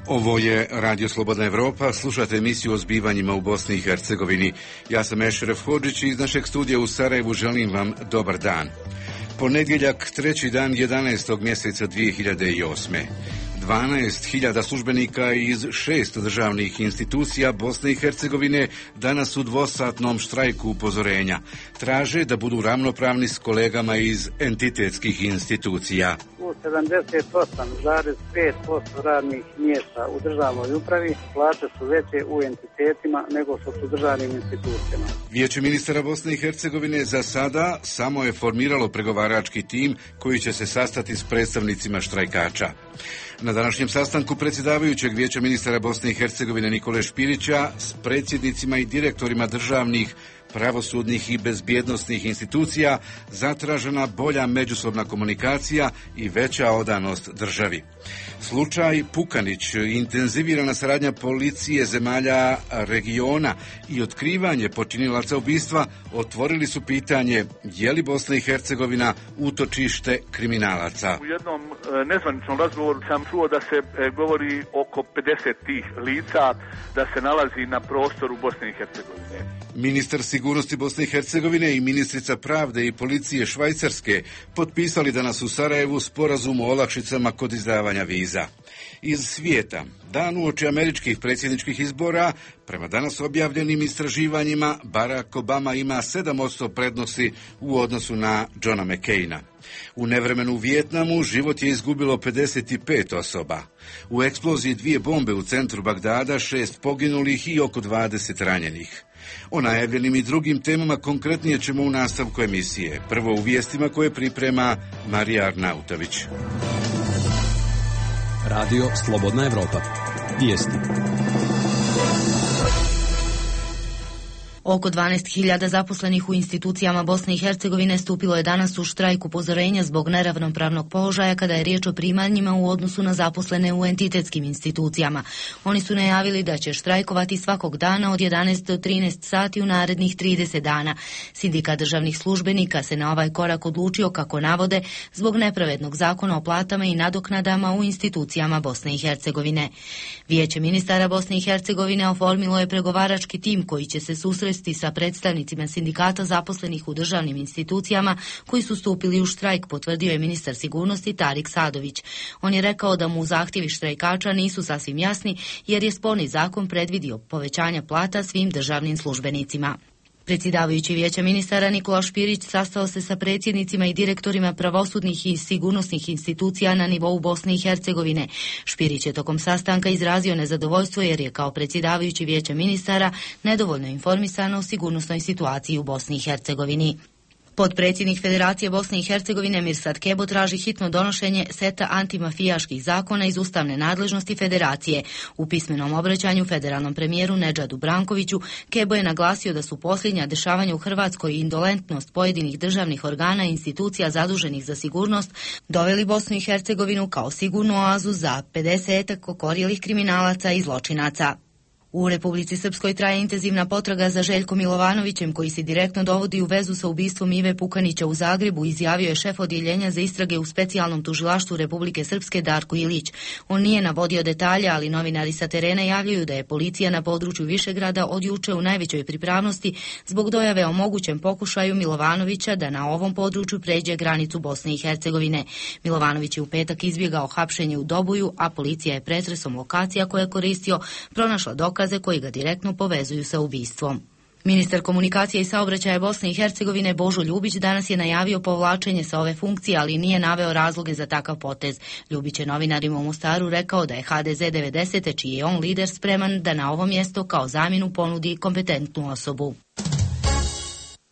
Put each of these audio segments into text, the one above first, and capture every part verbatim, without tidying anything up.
Ovo je Radio Slobodna Evropa, slušate emisiju o zbivanjima u Bosni i Hercegovini. Ja sam Ešref Hodžić i iz našeg studija u Sarajevu želim vam dobar dan. Ponedjeljak, treći dan jedanaestog mjeseca dvije hiljade osme. dvanaest hiljada službenika iz šest državnih institucija Bosne i Hercegovine danas u dvosatnom štrajku upozorenja. Traže da budu ravnopravni s kolegama iz entitetskih institucija. U sedamdeset osam zarez pet posto radnih mjesta u državnoj upravi plaće su veće u entitetima nego što su državnim institucijama. Vijeće ministara Bosne i Hercegovine za sada samo je formiralo pregovarački tim koji će se sastati s predstavnicima štrajkača. Na današnjem sastanku predsjedavajućeg Vijeća ministara Bosne i Hercegovine Nikole Špirića s predsjednicima i direktorima državnih, pravosudnih i bezbjednosnih institucija zatražena bolja međusobna komunikacija i veća odanost državi. Slučaj Pukanić, intenzivirana saradnja policije zemalja regiona i otkrivanje počinilaca ubistva otvorili su pitanje je li Bosna i Hercegovina utočište kriminalaca. U jednom nezvaničnom razgovoru sam čuo da se govori oko pedeset tih lica da se nalazi na prostoru Bosne i Hercegovine. Ministar sigurnosti Bosne i Hercegovine i ministrica pravde i policije Švajcarske potpisali danas u Sarajevu sporazum o olakšicama kod izdavanja viza. Iz svijeta, dan uoči američkih predsjedničkih izbora, prema danas objavljenim istraživanjima, Barack Obama ima sedam posto prednosti u odnosu na Johna McCaina. U nevremenu u Vijetnamu život je izgubilo pedeset pet osoba. U eksploziji dvije bombe u centru Bagdada, šest poginulih i oko dvadeset ranjenih. O najavljenim i drugim temama konkretnije ćemo u nastavku emisije. Prvo u vijestima koje priprema Marija Arnautović. Radio Slobodna Evropa. Vijesti. Oko dvanaest hiljada zaposlenih u institucijama Bosne i Hercegovine stupilo je danas u štrajk upozorenja zbog neravnopravnog položaja kada je riječ o primanjima u odnosu na zaposlene u entitetskim institucijama. Oni su najavili da će štrajkovati svakog dana od jedanaest do trinaest sati u narednih trideset dana. Sindikat državnih službenika se na ovaj korak odlučio, kako navode, zbog nepravednog zakona o platama i nadoknadama u institucijama Bosne i Hercegovine. Vijeće ministara Bosne i Hercegovine oformilo je pregovarački tim koji će se susresti sa predstavnicima sindikata zaposlenih u državnim institucijama koji su stupili u štrajk, potvrdio je ministar sigurnosti Tarik Sadović. On je rekao da mu zahtjevi štrajkača nisu sasvim jasni jer je sporni zakon predvidio povećanja plata svim državnim službenicima. Predsjedavajući Vijeća ministara Nikola Špirić sastao se sa predsjednicima i direktorima pravosudnih i sigurnosnih institucija na nivou Bosne i Hercegovine. Špirić je tokom sastanka izrazio nezadovoljstvo jer je kao predsjedavajući Vijeća ministara nedovoljno informisan o sigurnosnoj situaciji u Bosni i Hercegovini. Potpredsjednik Federacije Bosne i Hercegovine Mirsad Kebo traži hitno donošenje seta antimafijaških zakona iz ustavne nadležnosti Federacije. U pismenom obraćanju federalnom premijeru Nedžadu Brankoviću Kebo je naglasio da su posljednja dešavanja u Hrvatskoj i indolentnost pojedinih državnih organa i institucija zaduženih za sigurnost doveli Bosnu i Hercegovinu kao sigurnu oazu za pedesetak okorjelih kriminalaca i zločinaca. U Republici Srpskoj traje intenzivna potraga za Željkom Milovanovićem, koji se direktno dovodi u vezu sa ubistvom Ive Pukanića u Zagrebu, izjavio je šef odjeljenja za istrage u specijalnom tužilaštvu Republike Srpske Darko Ilić. On nije navodio detalje, ali novinari sa terena javljaju da je policija na području Višegrada od juče u najvećoj pripravnosti zbog dojave o mogućem pokušaju Milovanovića da na ovom području pređe granicu Bosne i Hercegovine. Milovanović je u petak izbjegao hapšenje u Doboju, a policija je pretresom lokacija koje je koristio pronašla dokaze koji ga direktno povezuju sa ubistvom. Ministar komunikacije i saobraćaja Bosne i Hercegovine Božo Ljubić danas je najavio povlačenje sa ove funkcije, ali nije naveo razloge za takav potez. Ljubić je novinarima u Mostaru rekao da je ha de ze devedesete, čiji je on lider, spreman da na ovo mjesto kao zamjenu ponudi kompetentnu osobu.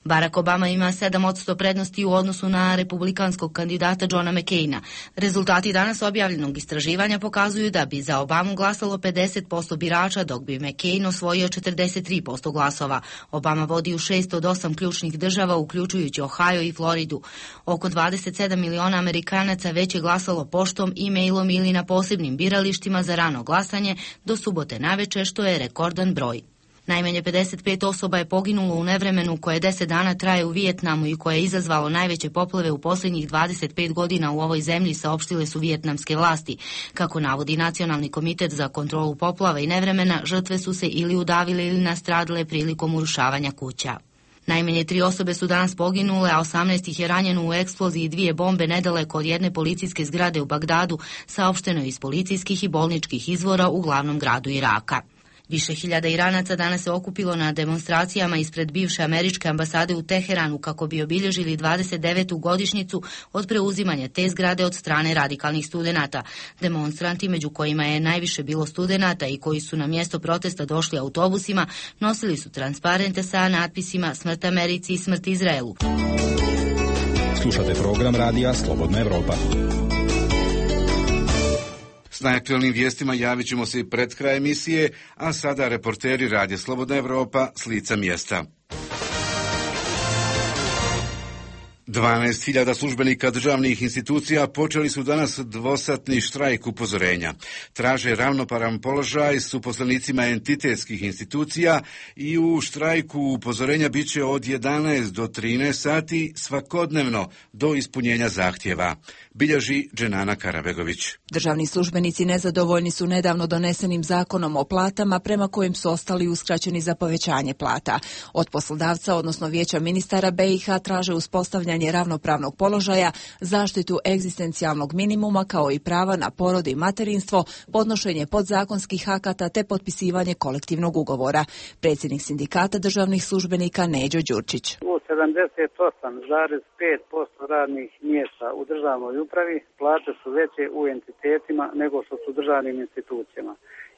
Barack Obama ima sedam posto prednosti u odnosu na republikanskog kandidata Johna McCaina. Rezultati danas objavljenog istraživanja pokazuju da bi za Obamu glasalo pedeset posto birača, dok bi McCain osvojio četrdeset tri posto glasova. Obama vodi u šest od osam ključnih država, uključujući Ohio i Floridu. Oko dvadeset sedam miliona Amerikanaca već je glasalo poštom, e-mailom ili na posebnim biralištima za rano glasanje do subote naveče, što je rekordan broj. Najmanje pedeset pet osoba je poginulo u nevremenu koje deset dana traje u Vijetnamu i koje je izazvalo najveće poplave u posljednjih dvadeset pet godina u ovoj zemlji, saopštile su vijetnamske vlasti. Kako navodi Nacionalni komitet za kontrolu poplava i nevremena, žrtve su se ili udavile ili nastradile prilikom urušavanja kuća. Najmanje tri osobe su danas poginule, a osamnaest ih je ranjeno u eksploziji dvije bombe nedaleko od jedne policijske zgrade u Bagdadu, saopšteno je iz policijskih i bolničkih izvora u glavnom gradu Iraka. Više hiljada Iranaca danas se okupilo na demonstracijama ispred bivše američke ambasade u Teheranu kako bi obilježili dvadeset devetu godišnjicu od preuzimanja te zgrade od strane radikalnih studenata. Demonstranti, među kojima je najviše bilo studenata i koji su na mjesto protesta došli autobusima, nosili su transparente sa natpisima "Smrt Americi" i "Smrt Izraelu". Slušate program radija Slobodna Evropa. S najaktualnim vijestima javit ćemo se i pred kraj emisije, a sada reporteri Radija Slobodna Evropa s lica mjesta. dvanaest hiljada službenika državnih institucija počeli su danas dvosatni štrajk upozorenja. Traže ravnopravan položaj s uposlenicima entitetskih institucija i u štrajku upozorenja bit će od jedanaest do trinaest sati svakodnevno do ispunjenja zahtjeva, bilježi Dženana Karabegović. Državni službenici nezadovoljni su nedavno donesenim zakonom o platama prema kojim su ostali uskraćeni za povećanje plata. Od poslodavca, odnosno Vijeća ministara B i H, traže uspostavljanje ravnopravnog položaja, zaštitu egzistencijalnog minimuma kao i prava na porod i materinstvo, podnošenje podzakonskih akata te potpisivanje kolektivnog ugovora. Predsjednik sindikata državnih službenika Neđo Đurčić. U sedamdeset osam zarez pet posto radnih mjesta u državnoj upravi plate su veće u entitetima nego što su državnim institucijama.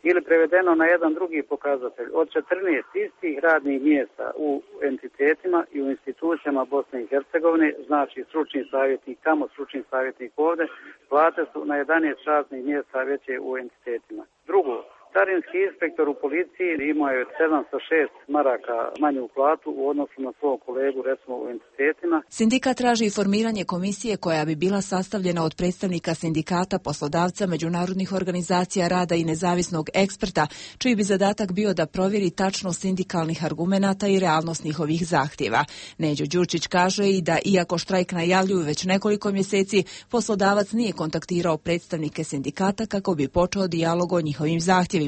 Ili prevedeno na jedan drugi pokazatelj, od četrnaest istih radnih mjesta u entitetima i u institucijama Bosne i Hercegovine, znači stručni savjetnik tamo, stručni savjetnik ovdje, plate su na jedanaest radnih mjesta veće u entitetima. Drugo, carinski inspektor u policiji imao je sedamsto šest maraka manju platu u odnosu na svog kolegu, recimo u entitetima. Sindikat traži formiranje komisije koja bi bila sastavljena od predstavnika sindikata, poslodavca, međunarodnih organizacija rada i nezavisnog eksperta, čiji bi zadatak bio da provjeri tačnost sindikalnih argumenata i realnost njihovih zahtjeva. Neđo Đurčić kaže i da, iako štrajk najavljuju već nekoliko mjeseci, poslodavac nije kontaktirao predstavnike sindikata kako bi počeo dijalog o njihovim zahtjevima.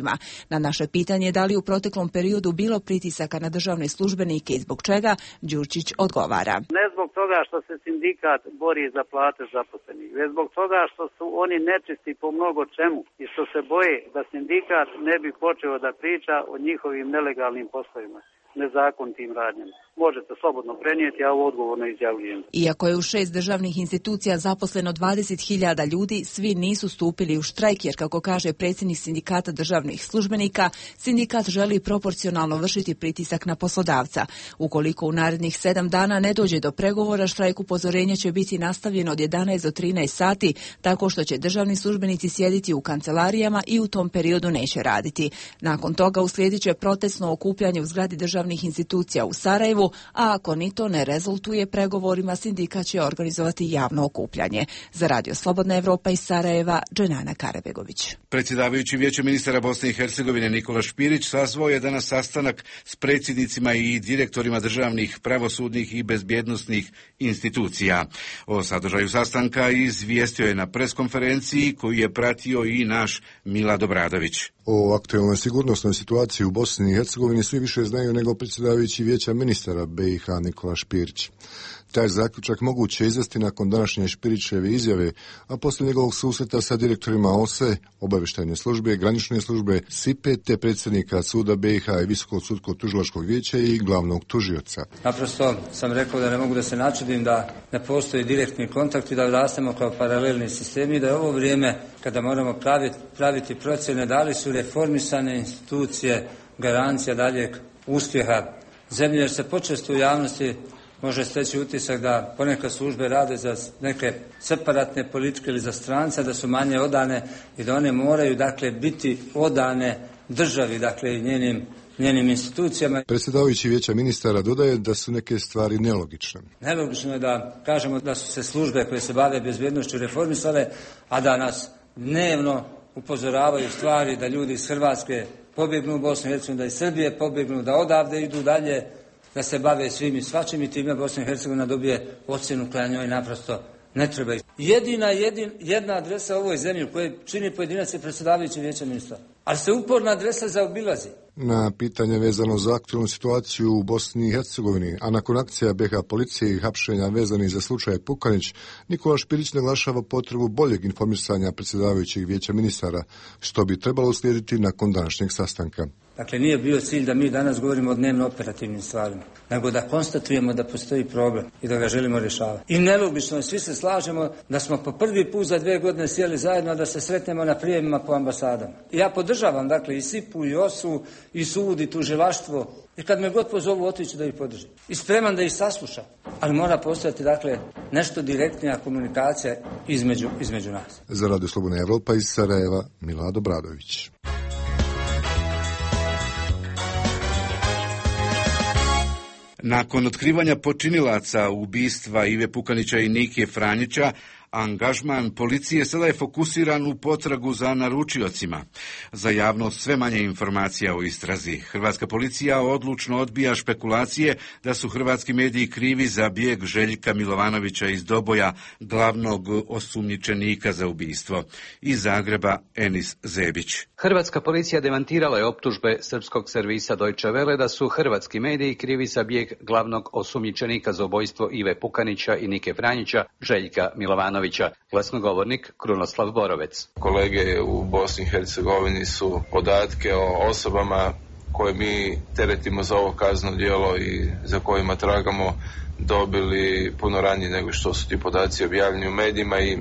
Na naše pitanje da li u proteklom periodu bilo pritisaka na državne službenike i zbog čega, Đurčić odgovara. Ne zbog toga što se sindikat bori za plate zaposlenih, već zbog toga što su oni nečisti po mnogo čemu i što se boje da sindikat ne bi počeo da priča o njihovim nelegalnim poslovima, nezakonitim radnjama. Možete slobodno prenijeti, ja ovo odgovorno izjavljujem. Iako je u šest državnih institucija zaposleno dvadeset hiljada ljudi, svi nisu stupili u štrajk jer, kako kaže predsjednik sindikata državnih službenika, sindikat želi proporcionalno vršiti pritisak na poslodavca. Ukoliko u narednih sedam dana ne dođe do pregovora, štrajk upozorenja će biti nastavljen od jedanaest do trinaest sati, tako što će državni službenici sjediti u kancelarijama i u tom periodu neće raditi. Nakon toga uslijedit će protestno okupljanje u zgradi državnih institucija u Sarajevu, a ako ni to ne rezultuje pregovorima, sindikat će organizovati javno okupljanje. Za Radio Slobodna Evropa iz Sarajeva, Dženana Karabegović. Predsjedavajući Vijeća ministara Bosne i Hercegovine Nikola Špirić sazvao je danas sastanak s predsjednicima i direktorima državnih, pravosudnih i bezbjednosnih institucija. O sadržaju sastanka izvijestio je na preskonferenciji koju je pratio i naš Milad Obradović. O aktualnoj sigurnosnoj situaciji u Bosni i Hercegovini svi više znaju nego predsjedavajući Vijeća ministara B i H Nikola Špirić. Taj zaključak moguće izvesti nakon današnje Špirićeve izjave, a poslije njegovog susreta sa direktorima O S E, obavještajne službe, granične službe, S I P E, te predsjednika suda B i H i Visokog sudskog tužilačkog vijeća i glavnog tužioca. Naprosto sam rekao da ne mogu da se načudim da ne postoji direktni kontakt i da rastemo kao paralelni sistemi, da je ovo vrijeme kada moramo praviti, praviti procjene da li su reformisane institucije garancija daljeg uspjeha zemlje, jer se počesto u javnosti može steći utisak da ponekad službe rade za neke separatne politike ili za strance, da su manje odane i da one moraju, dakle, biti odane državi, dakle, i njenim, njenim institucijama. Predsjedavajući Vijeća ministara dodaje da su neke stvari nelogične. Nelogično je da kažemo da su se službe koje se bave bezbjednošću reformisale, a da nas dnevno upozoravaju stvari da ljudi iz Hrvatske pobjegnu u Bosnu i Hercegovinu, da iz Srbije pobjegnu, da odavde idu dalje, da se bave svim i svačim i time Bosna i Hercegovina dobije ocjenu koja njoj naprosto ne treba. Jedina, jedin, jedna adresa u ovoj zemlji koje čini pojedinac je predsjedavajući vijeća ministra. Ali se uporna adresa zaobilazi. Na pitanje vezano za aktualnu situaciju u Bosni i Hercegovini, a nakon akcija be ha policije i hapšenja vezanih za slučaj Pukanić, Nikola Špirić naglašava potrebu boljeg informisanja predsjedavajućeg vijeća ministara, što bi trebalo uslijediti nakon današnjeg sastanka. Dakle, nije bio cilj da mi danas govorimo o dnevno operativnim stvarima, nego da konstatujemo da postoji problem i da ga želimo rješavati. I nelogično je, svi se slažemo da smo po prvi put za dvije godine sjeli zajedno da se sretnemo na prijemima po ambasadama. I ja podržavam, dakle, i Sipu, i Osu, i sud, i tužilaštvo. I kad me god pozovu, otiću da ih podržim. I spreman da ih saslušam. Ali mora postojati, dakle, nešto direktnija komunikacija između, između nas. Za Radio Slobodna Evropa iz Sarajeva, Milado Bradović. Nakon otkrivanja počinilaca ubistva Ive Pukanića i Nike Franjića, angažman policije sada je fokusiran u potragu za naručiocima. Za javnost sve manje informacija o istrazi. Hrvatska policija odlučno odbija špekulacije da su hrvatski mediji krivi za bijeg Željka Milovanovića iz Doboja, glavnog osumnjičenika za ubistvo. Iz Zagreba, Enis Zebić. Hrvatska policija demantirala je optužbe srpskog servisa Deutsche Welle da su hrvatski mediji krivi za bijeg glavnog osumnjičenika za ubojstvo Ive Pukanića i Nike Franjića, Željka Milovanovića. Glasnogovornik Krunoslav Borovec. Kolege u Bosni i Hercegovini su podatke o osobama koje mi teretimo za ovo kazneno djelo i za kojima tragamo dobili puno ranije nego što su ti podaci objavljeni u medijima i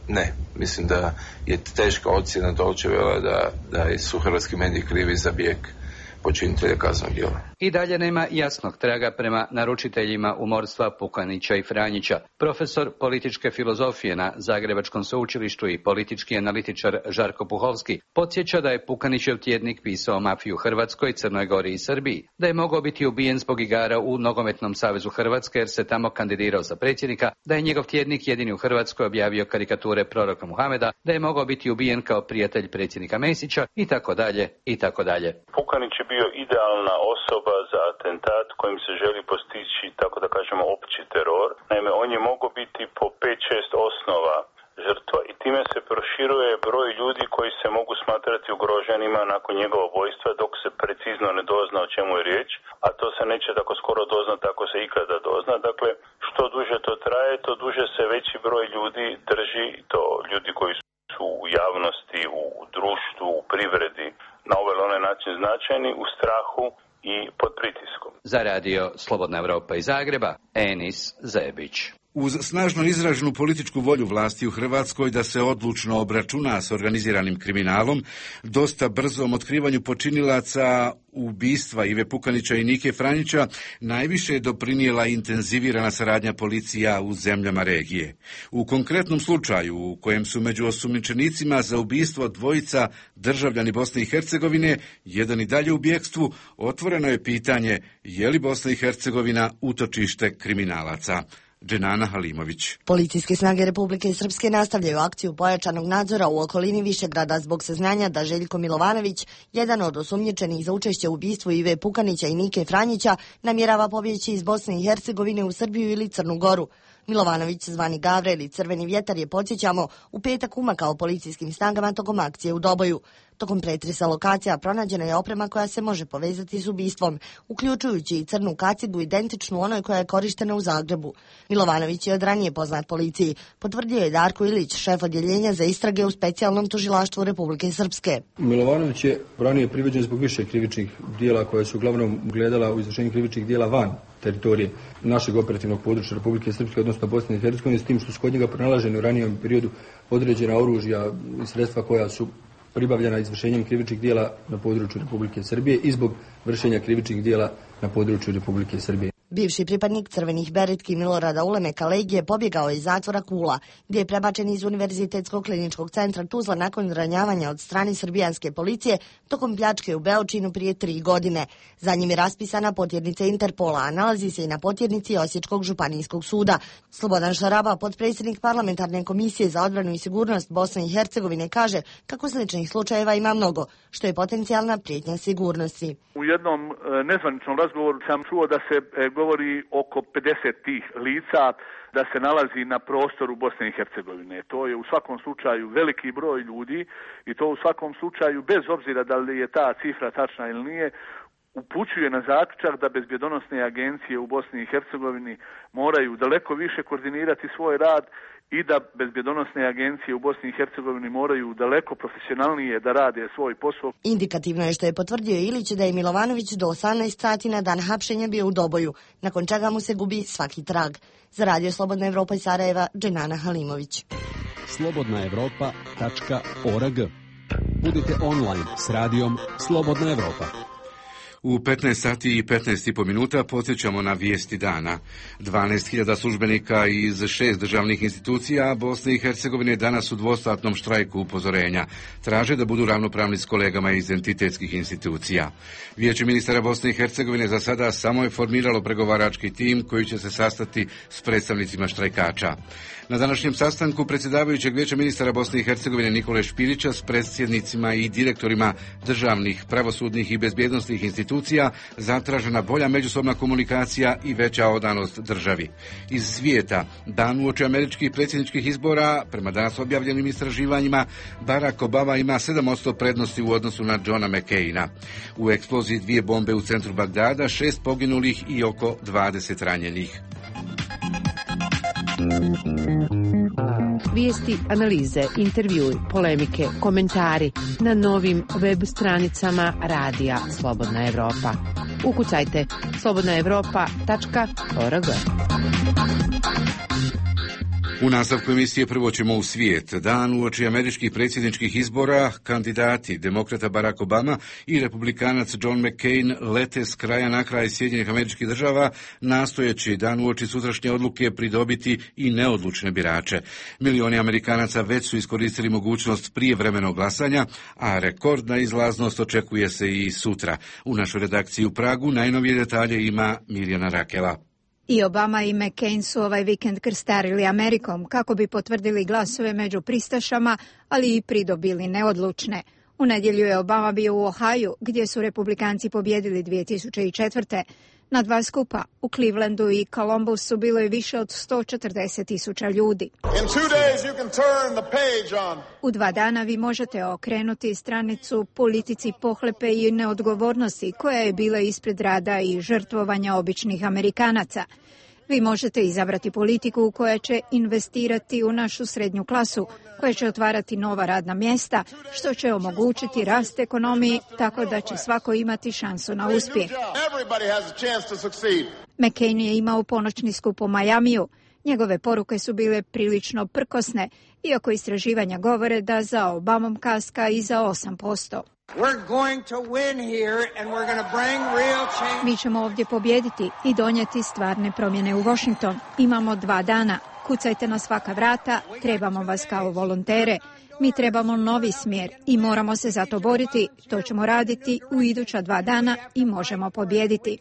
ne, mislim da je teška ocjena Deutsche Welle da, da su hrvatski mediji krivi za bijeg počinitelja kaznenog djela. I dalje nema jasnog traga prema naručiteljima umorstva Pukanića i Franjića. Profesor političke filozofije na Zagrebačkom sveučilištu i politički analitičar Žarko Puhovski podsjeća da je Pukanićev tjednik pisao mafiju u Hrvatskoj, Crnoj Gori i Srbiji, da je mogao biti ubijen zbog igara u Nogometnom savezu Hrvatske jer se tamo kandidirao za predsjednika, da je njegov tjednik jedini u Hrvatskoj objavio karikature proroka Muhameda, da je mogao biti ubijen kao prijatelj predsjednika Mesića i tako dalje i tako dalje. Pukanić je bio idealna osoba za atentat kojim se želi postići, tako da kažemo, opći teror. Naime, on je mogao biti po pet šest osnova žrtva i time se proširuje broj ljudi koji se mogu smatrati ugroženima nakon njegova ubojstva dok se precizno ne dozna o čemu je riječ, a to se neće tako skoro doznati ako se ikada dozna. Dakle, što duže to traje, to duže se veći broj ljudi drži, to ljudi koji su u javnosti, u društvu, u privredi, na ovaj ili onaj način značajni, u strahu i pod pritiskom. Za Radio Slobodna Evropa iz Zagreba, Enis Zebić. Uz snažno izraženu političku volju vlasti u Hrvatskoj da se odlučno obračuna s organiziranim kriminalom, dosta brzom otkrivanju počinilaca ubistva Ive Pukanića i Nike Franjića najviše je doprinijela intenzivirana saradnja policija u zemljama regije. U konkretnom slučaju, u kojem su među osumnjičenicima za ubistvo dvojica državljani Bosne i Hercegovine, jedan i dalje u bjekstvu, otvoreno je pitanje je li Bosna i Hercegovina utočište kriminalaca. Dženana Halimović. Policijske snage Republike Srpske nastavljaju akciju pojačanog nadzora u okolini Višegrada zbog saznanja da Željko Milovanović, jedan od osumnjičenih za učešće u ubistvu Ive Pukanića i Nike Franjića, namjerava pobjeći iz Bosne i Hercegovine u Srbiju ili Crnu Goru. Milovanović, zvani Gavre ili Crveni vjetar, je, podsjećamo, u petak umakao policijskim snagama tokom akcije u Doboju. Tokom pretresa lokacija pronađena je oprema koja se može povezati s ubistvom, uključujući i crnu kacigu identičnu onoj koja je korištena u Zagrebu. Milovanović je od ranije poznat policiji, potvrdio je Darko Ilić, šef odjeljenja za istrage u specijalnom tužilaštvu Republike Srpske. Milovanović je ranije priveđen zbog više krivičnih dijela koje su uglavnom gledala u izvršenju krivičnih dijela van teritorije našeg operativnog područja Republike Srpske, odnosno Bosne i Hercegovine, s tim što su kod njega pronalaženi u ranijem periodu određena oružja i sredstva koja su pribavljena izvršenjem krivičnih dijela na području Republike Srbije i zbog vršenja krivičnih dijela na području Republike Srbije. Bivši pripadnik crvenih beretki Milorada Ulemeka Legije pobjegao je iz zatvora Kula, gdje je prebačen iz Univerzitetskog kliničkog centra Tuzla nakon ranjavanja od strane srbijanske policije tokom pljačke u Beočinu prije tri godine. Za njim je raspisana potjernica Interpola, a nalazi se i na potjernici Osječkog županijskog suda. Slobodan Šaraba, potpredsjednik parlamentarne komisije za odbranu i sigurnost Bosne i Hercegovine, kaže kako sličnih slučajeva ima mnogo, što je potencijalna prijetnja sigurnosti. U jednom nezvaničnom razgovoru sam čuo da se govori oko pedeset tih lica da se nalazi na prostoru Bosne i Hercegovine. To je u svakom slučaju veliki broj ljudi i to u svakom slučaju, bez obzira da li je ta cifra tačna ili nije, upućuje na zaključak da bezbjedonosne agencije u Bosni i Hercegovini moraju daleko više koordinirati svoj rad i da bezbjedonosne agencije u Bosni i Hercegovini moraju daleko profesionalnije da rade svoj posao. Indikativno je što je potvrdio Ilić da je Milovanović do osamnaest sati na dan hapšenja bio u Doboju, nakon čega mu se gubi svaki trag. Za Radio Slobodna Evropa iz Sarajeva, Dženana Halimović. slobodna evropa tačka org. Budite online s radijom Slobodna Evropa. U petnaest sati i petnaest i po minuta podsjećamo na vijesti dana. dvanaest hiljada službenika iz šest državnih institucija Bosne i Hercegovine danas u dvosatnom štrajku upozorenja. Traže da budu ravnopravni s kolegama iz entitetskih institucija. Vijeće ministara Bosne i Hercegovine za sada samo je formiralo pregovarački tim koji će se sastati s predstavnicima štrajkača. Na današnjem sastanku predsjedavajućeg Vijeća ministara Bosne i Hercegovine Nikole Špirića s predsjednicima i direktorima državnih, pravosudnih i bezbjednosnih institucija zatražena bolja međusobna komunikacija i veća odanost državi. Iz svijeta, dan uoči američkih predsjedničkih izbora, prema danas objavljenim istraživanjima, Barack Obama ima sedam posto prednosti u odnosu na Johna McCaina. U eksploziji dvije bombe u centru Bagdada, šest poginulih i oko dvadeset ranjenih. Vijesti, analize, intervjui, polemike, komentari na novim web stranicama Radija Slobodna Evropa. Ukucajte slobodna evropa tačka org. U nastavku emisije prvo ćemo u svijet. Dan uoči američkih predsjedničkih izbora, kandidati demokrata Barack Obama i republikanac John McCain lete s kraja na kraj Sjedinjenih Američkih Država, nastojeći dan uoči sutrašnje odluke pridobiti i neodlučne birače. Milioni Amerikanaca već su iskoristili mogućnost prijevremenog glasanja, a rekordna izlaznost očekuje se i sutra. U našoj redakciji u Pragu najnovije detalje ima Mirjana Rakela. I Obama i McCain su ovaj vikend krstarili Amerikom kako bi potvrdili glasove među pristašama, ali i pridobili neodlučne. U nedjelju je Obama bio u Ohaju, gdje su republikanci pobjedili dvije tisuće četvrte. Na dva skupa, u Clevelandu i Columbusu, bilo je više od sto četrdeset tisuća ljudi. U dva dana vi možete okrenuti stranicu politici pohlepe i neodgovornosti koja je bila ispred rada i žrtvovanja običnih Amerikanaca. Vi možete izabrati politiku koja će investirati u našu srednju klasu, koja će otvarati nova radna mjesta, što će omogućiti rast ekonomiji tako da će svako imati šansu na uspjeh. McCain je imao ponoćni skup u Majamiju. Njegove poruke su bile prilično prkosne, iako istraživanja govore da za Obamom kaska i za osam posto. Mi ćemo ovdje pobijediti i donijeti stvarne promjene u Washington. Imamo dva dana. Kucajte na svaka vrata, trebamo vas kao volontere. Mi trebamo novi smjer i moramo se za to boriti. To ćemo raditi u iduća dva dana i možemo pobijediti.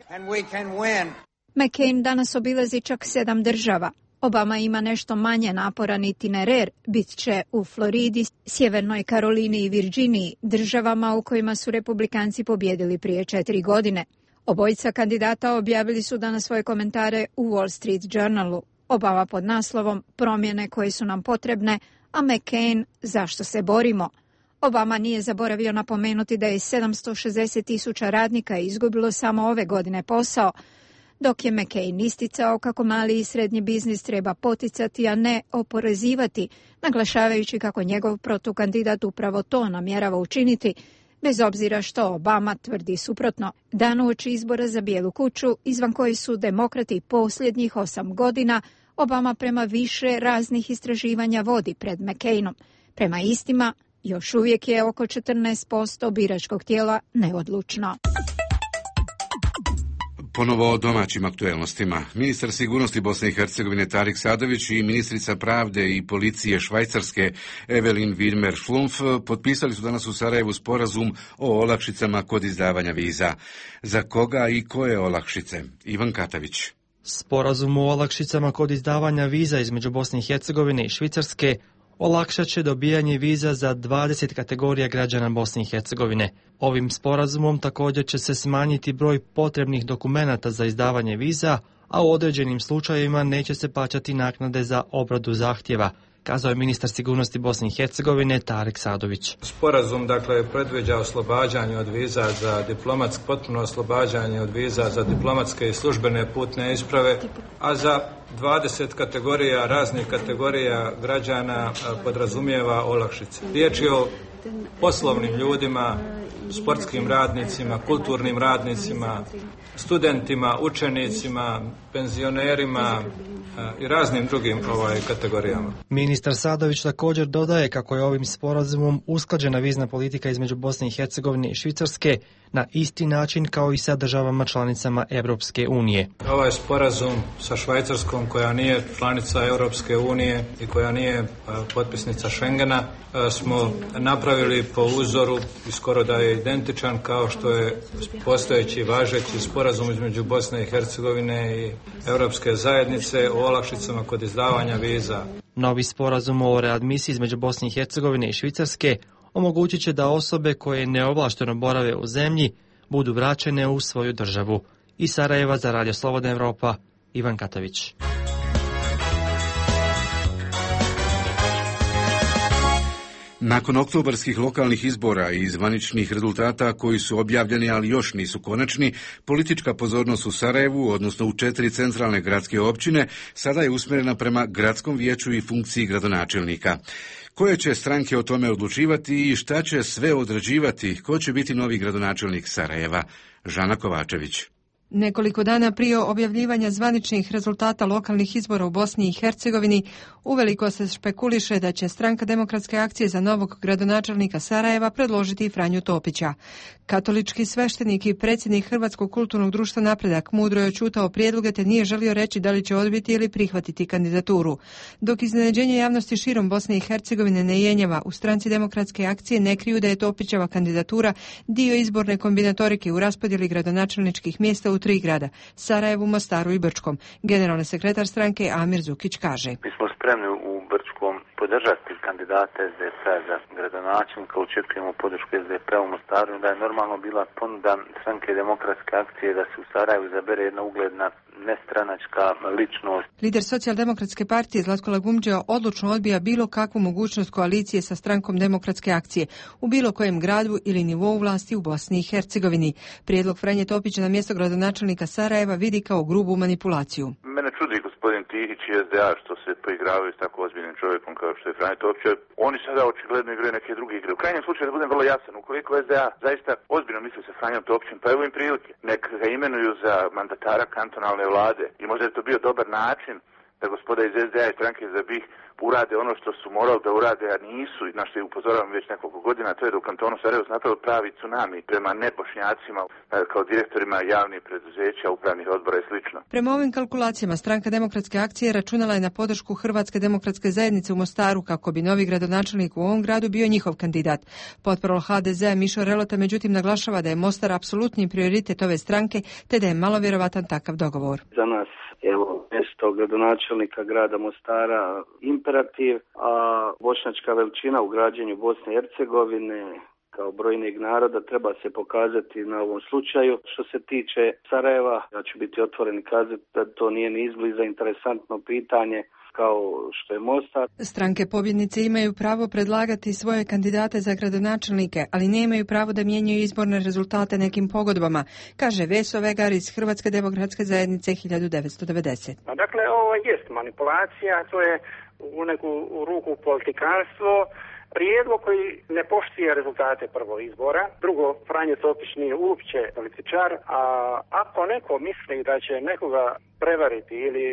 McCain danas obilazi čak sedam država. Obama ima nešto manje naporan itinerer, bit će u Floridi, Sjevernoj Karolini i Virginiji, državama u kojima su republikanci pobjedili prije četiri godine. Obojica kandidata objavili su danas svoje komentare u Wall Street Journalu. Obama pod naslovom "Promjene koje su nam potrebne", a McCain "Zašto se borimo?". Obama nije zaboravio napomenuti da je sedamsto šezdeset tisuća radnika izgubilo samo ove godine posao, dok je McCain isticao kako mali i srednji biznis treba poticati, a ne oporezivati, naglašavajući kako njegov protukandidat upravo to namjerava učiniti, bez obzira što Obama tvrdi suprotno. Dan uoči izbora za Bijelu kuću, izvan koji su demokrati posljednjih osam godina, Obama prema više raznih istraživanja vodi pred McCainom. Prema istima, još uvijek je oko četrnaest posto biračkog tijela neodlučno. Ponovo o domaćim aktuelnostima. Ministar sigurnosti Bosne i Hercegovine Tarik Sadović i ministrica pravde i policije Švajcarske Evelin Widmer-Schlumpf potpisali su danas u Sarajevu sporazum o olakšicama kod izdavanja viza. Za koga i koje olakšice? Ivan Katavić. Sporazum o olakšicama kod izdavanja viza između Bosne i Hercegovine i Švicarske olakšat će dobijanje viza za dvadeset kategorija građana Bosne i Hercegovine. Ovim sporazumom također će se smanjiti broj potrebnih dokumenata za izdavanje viza, a u određenim slučajevima neće se plaćati naknade za obradu zahtjeva, kazao je ministar sigurnosti Bosne i Hercegovine Tarik Sadović. Sporazum dakle predviđa oslobađanje od viza za diplomatsko, potpuno oslobađanje od viza za diplomatske i službene putne isprave, a za dvadeset kategorija, raznih kategorija građana podrazumijeva olakšice. Riječ je o poslovnim ljudima, sportskim radnicima, kulturnim radnicima, studentima, učenicima, penzionerima i raznim drugim ovaj, kategorijama. Ministar Sadović također dodaje kako je ovim sporazumom usklađena vizna politika između Bosne i Hercegovine i Švicarske na isti način kao i sa državama članicama Europske unije. Ovaj sporazum sa Švajcarskom, koja nije članica Europske unije i koja nije potpisnica Schengena, smo napravili po uzoru i skoro da je identičan kao što je postojeći važeći sporazum između Bosne i Hercegovine i Europske zajednice o olakšicama kod izdavanja viza. Novi sporazum o readmisiji između Bosne i Hercegovine i Švicarske omogućit će da osobe koje neovlašteno borave u zemlji budu vraćene u svoju državu. Iz Sarajeva za Radio Slobodna Evropa, Ivan Katavić. Nakon oktobarskih lokalnih izbora i zvaničnih rezultata koji su objavljeni, ali još nisu konačni, politička pozornost u Sarajevu, odnosno u četiri centralne gradske općine, sada je usmjerena prema gradskom vijeću i funkciji gradonačelnika. Koje će stranke o tome odlučivati i šta će sve određivati? Ko će biti novi gradonačelnik Sarajeva? Žana Kovačević. Nekoliko dana prije objavljivanja zvaničnih rezultata lokalnih izbora u Bosni i Hercegovini, uveliko se špekuliše da će Stranka demokratske akcije za novog gradonačelnika Sarajeva predložiti Franju Topića. Katolički sveštenik i predsjednik Hrvatskog kulturnog društva Napredak mudro je oćutao prijedloge te nije želio reći da li će odbiti ili prihvatiti kandidaturu. Dok iznenađenje javnosti širom Bosne i Hercegovine ne jenjava, u Stranci demokratske akcije ne kriju da je Topićeva kandidatura dio izborne kombinatorike u raspodjeli gradonačelničkih mjesta u tri grada, Sarajevu, Mostaru i Brčkom. Generalni sekretar stranke Amir Zukić kaže: Mi smo spremni u Brčkom podržati kandidate es de pe za gradonačelnika, očekujemo podršku es de pe u Mostaru, da je normalno bila ponuda Stranke demokratske akcije da se u Sarajevu izabere jedna ugledna nestranačka ličnost. Lider Socijaldemokratske partije Zlatko Lagumdžija odlučno odbija bilo kakvu mogućnost koalicije sa Strankom demokratske akcije u bilo kojem gradu ili nivou vlasti u Bosni i Hercegovini. Prijedlog Franje Topića na mjesto gradonačelnika Sarajeva vidi kao grubu manipulaciju. Mene čudi gospodin Tihić i es de a što se poigravaju s tako ozbiljnim čovjekom kao što je Franje Topić. Oni sada očigledno igraju neke druge igre. U krajnjem slučaju, da budem vrlo jasan, ukoliko es de a zaista ozbiljno misli sa Franjom Topićem, pa evo im prilike. Nek ga imenuju za mandatara kantonalne vlade i možda je to bio dobar način da gospoda iz es de a i stranke za BiH urade ono što su morali da urade, a nisu, na što je upozoravam već nekoliko godina, to je da u kantonu Sarajevo napravili pravi tsunami prema nebošnjacima kao direktorima javnih preduzeća, upravnih odbora i slično. Prema ovim kalkulacijama Stranka demokratske akcije računala je na podršku Hrvatske demokratske zajednice u Mostaru kako bi novi gradonačelnik u ovom gradu bio njihov kandidat. Potporol ha de zea Mišo Relota međutim naglašava da je Mostar apsolutni prioritet ove stranke te da je malo vjerovatan takav dogovor. Za nas evo mjesto gradonačelnika grada Mostara imperativ, a bošnjačka veličina u građenju Bosne i Hercegovine kao brojnijeg naroda treba se pokazati na ovom slučaju. Što se tiče Sarajeva, ja ću biti otvoren i kazati da to nije ni izbliza interesantno pitanje kao što je Mostar. Stranke pobjednice imaju pravo predlagati svoje kandidate za gradonačelnike, ali nemaju pravo da mijenjaju izborne rezultate nekim pogodbama, kaže Veso Vegar iz Hrvatske demokratske zajednice hiljadu devetsto devedeset. Dakle, ovo jest manipulacija, to je u neku ruku politikanstvo, prijedlog koji ne poštuje rezultate prvog izbora. Drugo, Franjo Topić nije uopće političar, a ako neko misli da će nekoga prevariti ili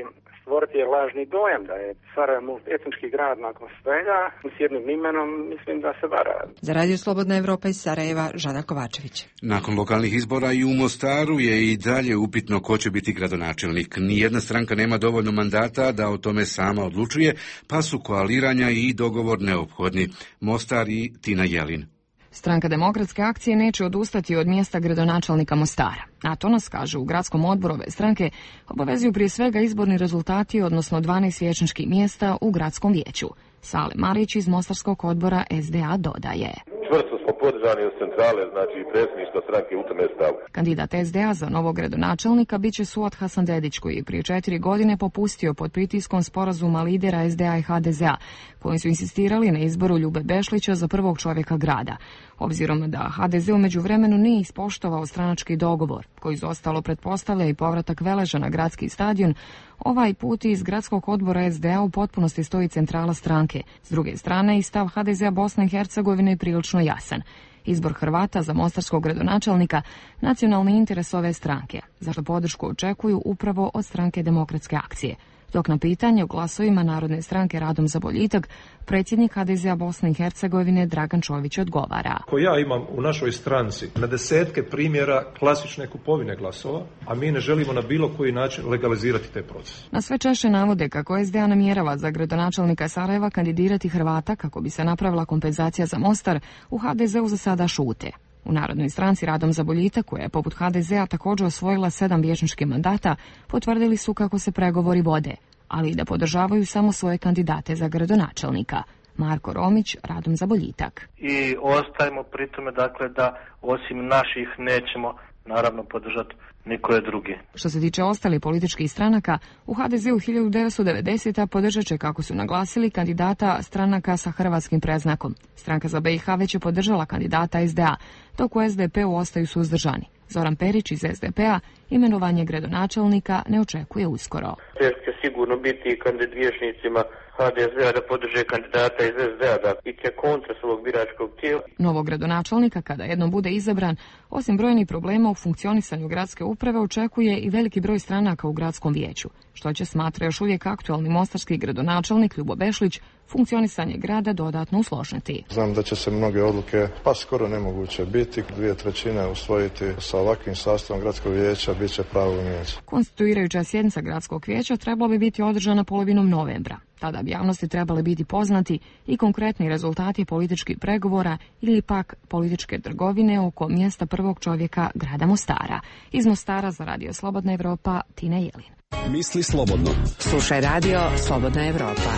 stvoriti je lažni dojam da je Sarajevo etnički grad nakon svega, s jednim imenom, mislim da se vara. Za Radio Slobodna Evropa iz Sarajeva, Žana Kovačević. Nakon lokalnih izbora i u Mostaru je i dalje upitno ko će biti gradonačelnik. Nijedna stranka nema dovoljno mandata da o tome sama odlučuje, pa su koaliranja i dogovor neophodni. Mostar i Tina Jelin. Stranka Demokratske akcije neće odustati od mjesta gradonačelnika Mostara. A to nas, kaže, u gradskom odboru ove stranke obavezuju prije svega izborni rezultati, odnosno dvanaest vijećničkih mjesta u gradskom vijeću. Sale Marić iz Mostarskog odbora S D A dodaje. Čvrsto smo podržani od centrale, znači i predsjedništva stranke u tome stavu. Kandidat S D A za novog gradonačelnika biće Suad Hasanbedić, koji je prije četiri godine popustio pod pritiskom sporazuma lidera S D A i H D Z A, koji su insistirali na izboru Ljube Bešlića za prvog čovjeka grada. Obzirom da H D Z u međuvremenu nije ispoštovao stranački dogovor, koji izostalo pretpostavlja i povratak Veleža na gradski stadion, ovaj put iz gradskog odbora S D A u potpunosti stoji centrala stranke. S druge strane, i stav H D Z A Bosne i Hercegovine je prilično jasan. Izbor Hrvata za mostarskog gradonačelnika nacionalni interes ove stranke, zašto podršku očekuju upravo od stranke Demokratske akcije. Dok na pitanje o glasovima Narodne stranke Radom za boljitak, predsjednik H D Z A Bosne i Hercegovine Dragan Čović odgovara. Ko ja imam u našoj stranci na desetke primjera klasične kupovine glasova, a mi ne želimo na bilo koji način legalizirati te procese. Na sve češće navode kako S D A namjerava za gradonačelnika Sarajeva kandidirati Hrvata kako bi se napravila kompenzacija za Mostar, u H D Z U za sada šute. U Narodnoj stranci Radom za boljitak, koja je poput H D Z A također osvojila sedam vijećničkih mandata, potvrdili su kako se pregovori vode, ali i da podržavaju samo svoje kandidate za gradonačelnika. Marko Romić, Radom za boljitak. I ostajemo pri tome, dakle, da osim naših nećemo naravno podržati nikoje drugi. Što se tiče ostalih političkih stranaka, u H D Z U hiljadu devetsto devedesete. podržat će, kako su naglasili, kandidata stranaka sa hrvatskim predznakom. Stranka za B i H već je podržala kandidata S D A, dok u S D P-u ostaju suzdržani. Zoran Perić iz S D P-a imenovanje gradonačelnika ne očekuje uskoro. Će sigurno biti kandidat vijećnicima H D Z A da podrže kandidata iz S D A, da iće kontra svog biračkog tijela. Novog gradonačelnika, kada jednom bude izabran, osim brojnih problema u funkcionisanju gradske uprave, očekuje i veliki broj stranaka u gradskom vijeću, što će, smatra još uvijek aktualni mostarski gradonačelnik Ljubo Bešlić, funkcionisanje grada dodatno usložiti. Znam da će se mnoge odluke, pa skoro nemoguće biti, dvije trećine usvojiti sa ovakvim sastavom gradskog vijeća, bit će pravo vijeće. Konstituirajuća sjednica gradskog vijeća trebala bi biti održana polovinom novembra. Tada bi javnosti trebali biti poznati i konkretni rezultati političkih pregovora ili pak političke trgovine oko mjesta prvog čovjeka grada Mostara. Iz Mostara za Radio Slobodna Evropa, Tina Jelin. Misli slobodno. Slušaj Radio Slobodna Evropa.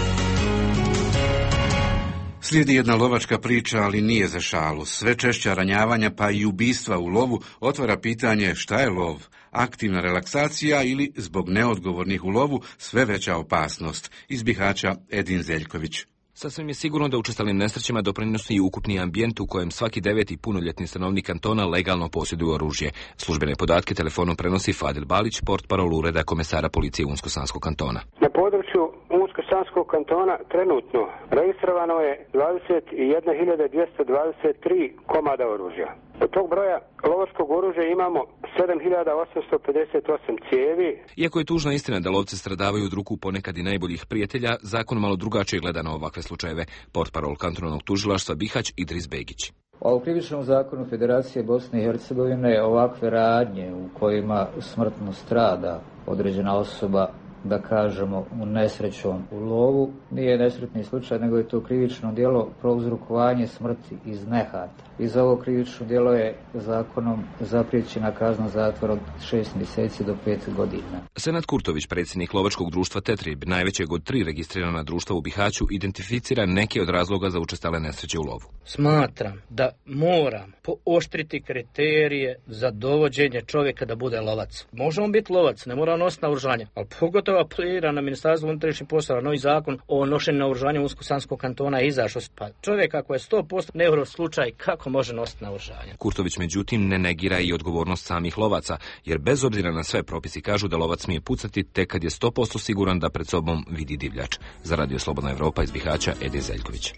Slijedi jedna lovačka priča, ali nije za šalu. Sve češća ranjavanja pa i ubistva u lovu otvara pitanje šta je lov, aktivna relaksacija ili zbog neodgovornih u lovu sve veća opasnost. Iz Bihaća Edin Zeljković. Sasvim je sigurno da učestalim nesrećama doprinosi i ukupni ambijent u kojem svaki deveti punoljetni stanovnik kantona legalno posjeduje oružje. Službene podatke telefonom prenosi Fadil Balić, portparol ureda komesara policije Unsko-Sanskog kantona. Na području Unsko-Sanskog kantona trenutno registrovano je dvadeset jedna hiljada dvjesto dvadeset tri komada oružja. Od tog broja lovačkog oružja imamo sedam hiljada osamsto pedeset osam cijevi. Iako je tužna istina da lovci stradavaju od ruku ponekad i najboljih prijatelja, zakon malo drugačije gleda na ovakve slučajeve. Portparol kantonalnog tužilaštva Bihać Idris Begić. A u krivičnom zakonu Federacije Bosne i Hercegovine ovakve radnje u kojima smrtno strada određena osoba, da kažemo, u nesrećom u lovu, nije nesretni slučaj, nego je to krivično djelo prouzrokovanje smrti iz nehata. I za ovo krivično djelo je zakonom zapriječena kazna zatvora od šest mjeseci do pet godina. Senad Kurtović, predsjednik lovačkog društva Tetrib, najvećeg od tri registrirana društva u Bihaću, identificira neke od razloga za učestale nesreće u lovu. Smatram da moram pooštriti kriterije za dovođenje čovjeka da bude lovac. Može on biti lovac, ne mora nositi naoružanje, ali pogotovo apelira na Ministarstvo unutrašnjih poslova, novi zakon o nošenju naoružanja Unsko-Sanskog kantona je izašao. Pa čovjek ako je sto posto neuro slučaj, kako može nositi naoružanje? Kurtović međutim ne negira i odgovornost samih lovaca, jer bez obzira na sve propisi kažu da lovac smije pucati tek kad je sto posto siguran da pred sobom vidi divljač. Za Radio Slobodna Evropa iz Bihaća, Edin Zeljković.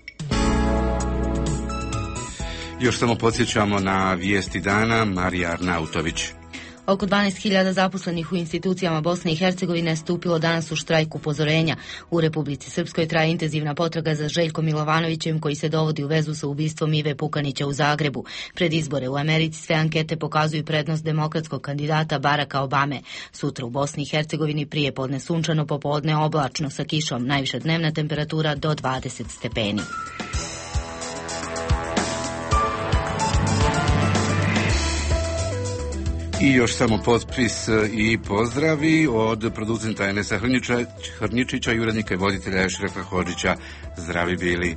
Još samo podsjećamo na vijesti dana, Marija Arnautović. Oko dvanaest hiljada zaposlenih u institucijama Bosne i Hercegovine stupilo danas u štrajk upozorenja. U Republici Srpskoj traje intenzivna potraga za Željkom Milovanovićem, koji se dovodi u vezu sa ubistvom Ive Pukanića u Zagrebu. Pred izbore u Americi sve ankete pokazuju prednost demokratskog kandidata Baracka Obame. Sutra u Bosni i Hercegovini prije podne sunčano, popodne oblačno sa kišom, najviša dnevna temperatura do dvadeset stepeni. I još samo potpis i pozdravi od producenta Enesa Hrničića i urednika i voditelja Ešrefa Hodžića. Zdravi bili.